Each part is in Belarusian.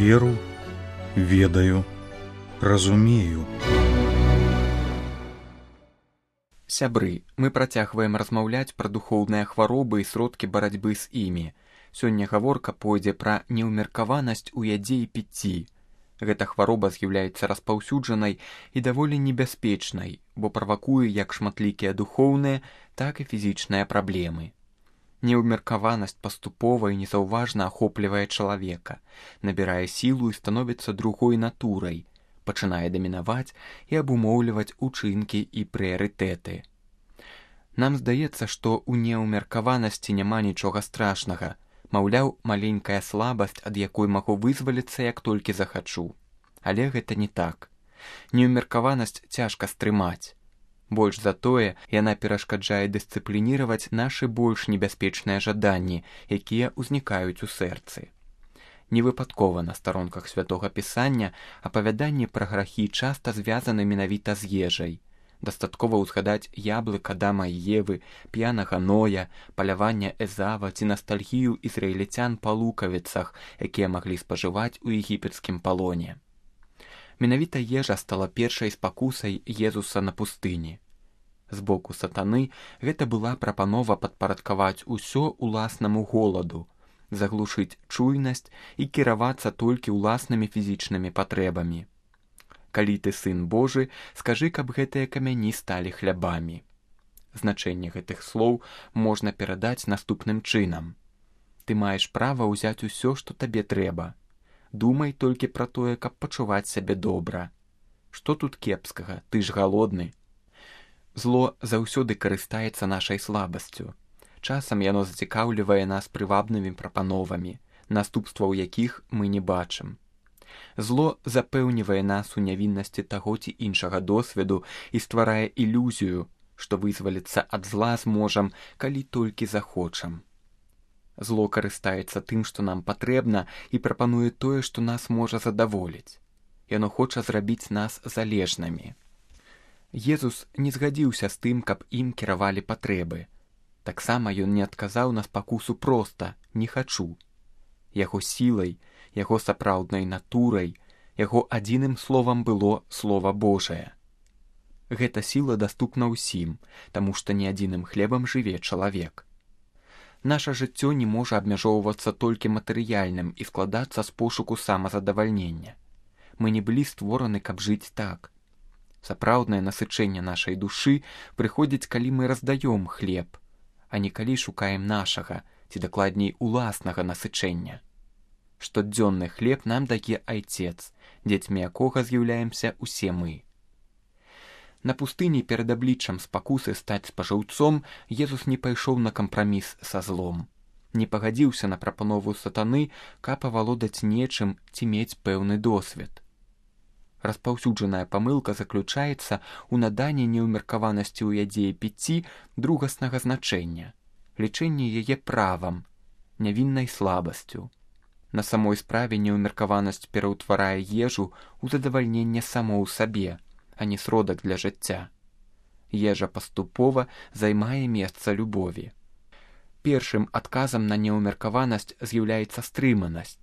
веру, ведаю, разумею. Сябры, мы працягваем размаўляць пра духоўныя хваробы і сродкі барацьбы з імі. Сёння гаворка пойдзе пра неўмеркаванасць у ядзе і піцці. Гэта хвароба з'яўляецца распаўсюджанай і даволі небяспечнай, бо правакуе як шматлікія духоўныя, так і фізічныя праблемы. Неўмеркаванасць паступова і незаўважна ахоплівае чалавека, набірае сілу і становіцца другой натурай, пачынае дамінаваць і абумоўліваць учынкі і прыярытэты. Нам здаецца, што ў неўмеркаванасці няма нічога страшнага, маўляў, маленькая слабасць, ад якой магу вызваліцца, як толькі захачу. Але гэта не так. Неўмеркаванасць цяжка стрымаць. Больш за тое, яна перашкаджае дысцыплініраваць нашы больш небяспечныя жаданні, якія ўзнікаюць у сэрцы. Невыпадкова на старонках Святога Пісання апавяданні пра грахі часта звязаны менавіта з ежай. Дастаткова ўзгадаць яблык Адама і Евы, п'янага Ноя, палявання Эзава ці настальгію ізраільцян па лукавіцах, якія маглі спажываць у егіпецкім палоне. Менавіта ежа стала першай спакусай Езуса на пустыні. З боку сатаны гэта была прапанова падпарадкаваць усё уласнаму голаду, заглушыць чуйнасць і кіравацца толькі ўласнымі фізічнымі патрэбамі. Калі ты сын Божы, скажы, каб гэтыя камяні сталі хлябамі. Значэнне гэтых слоў можна перадаць наступным чынам. Ты маеш права ўзяць усё, што табе трэба. Думай толькі пра тое, каб пачуваць сябе добра. Што тут кепскага, ты ж галодны. Зло заўсёды карыстаецца нашай слабасцю. Часам яно зацікаўлівае нас прывабнымі прапановамі, наступстваў якіх мы не бачым. Зло запэўнівае нас у нявіннасці таго ці іншага досведу і стварае ілюзію, што вызваліцца ад зла зможам, калі толькі захочам. Зло карыстаецца тым, што нам патрэбна, і прапануе тое, што нас можа задаволіць. Яно хоча зрабіць нас залежнымі. Езус не згадзіўся з тым, каб ім кіравалі патрэбы. Таксама ён не адказаў на спакусу проста «не хачу». Яго сілай, яго сапраўднай натурай, яго адзіным словам было Слова Божае. Гэта сіла даступна ўсім, таму што не адзіным хлебам жыве чалавек. Наша жыццё не можа абмяжоўвацца толькі матэрыяльным і складацца з пошуку самазадавальнення. Мы не былі створаны, каб жыць так. Сапраўднае насычэнне нашай душы прыходзіць, калі мы раздаём хлеб, а не калі шукаем нашага, ці дакладней уласнага насычэння. Штодзённы хлеб нам дае Айцец, дзецьмі якога з'яўляемся усе мы. На пустыні перад абліччам спакусы стаць спажыўцом Езус не пайшоў на кампраміс са злом. Не пагадзіўся на прапанову сатаны, каб авалодаць нечым ці мець пэўны досвед. Распаўсюджаная памылка заключаецца ў наданні неўмеркаванасці ў ядзе і піцці другаснага значэння, лічэнне яе правам, нявіннай слабасцю. На самой справе неўмеркаванасць пераўтварае ежу ў задавальненне самой сабе, а не сродак для жыцця. Ежа паступова займае месца любові. Першым адказам на неўмеркаванасць з'яўляецца стрыманасць.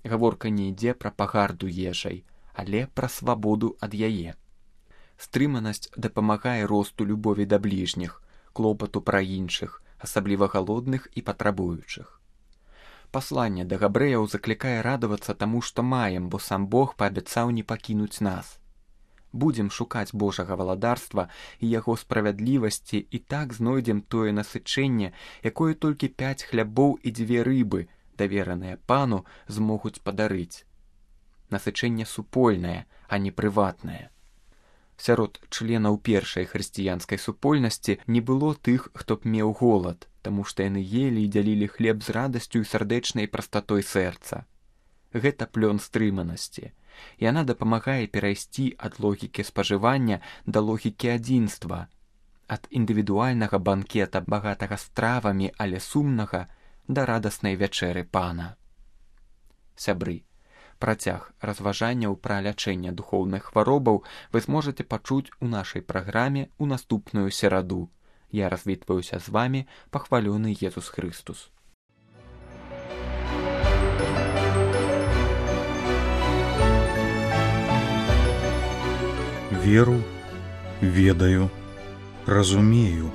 Гаворка не ідзе пра пагарду ежай, але пра свабоду ад яе. Стрыманасць дапамагае росту любові да бліжніх, клопату пра іншых, асабліва галодных і патрабуючых. Пасланне да габрэяў заклікае радавацца таму, што маем, бо сам Бог паабяцаў не пакінуць нас. Будзем шукаць Божага валадарства і яго справядлівасці, і так знойдзем тое насычэнне, якое толькі 5 хлябоў і 2 рыбы, давераныя пану, змогуць падарыць. Насычэнне супольнае, а не прыватнае. Сярод членаў першай хрысціянскай супольнасці не было тых, хто б меў голад, таму што яны елі і дзялілі хлеб з радасцю і сардэчнай прастатой сэрца. Гэта плён стрыманасці. Яна дапамагае перайсці ад логікі спажывання да логікі адзінства, ад індывідуальнага банкета, багатага стравамі, але сумнага, да радаснай вячэры пана. Сябры, працяг разважанняў пра лячэнне духоўных хваробаў вы зможаце пачуць у нашай праграме ў наступную сераду. Я развітваюся з вамі, пахвалёны Езус Хрыстус. Веру, ведаю, разумею.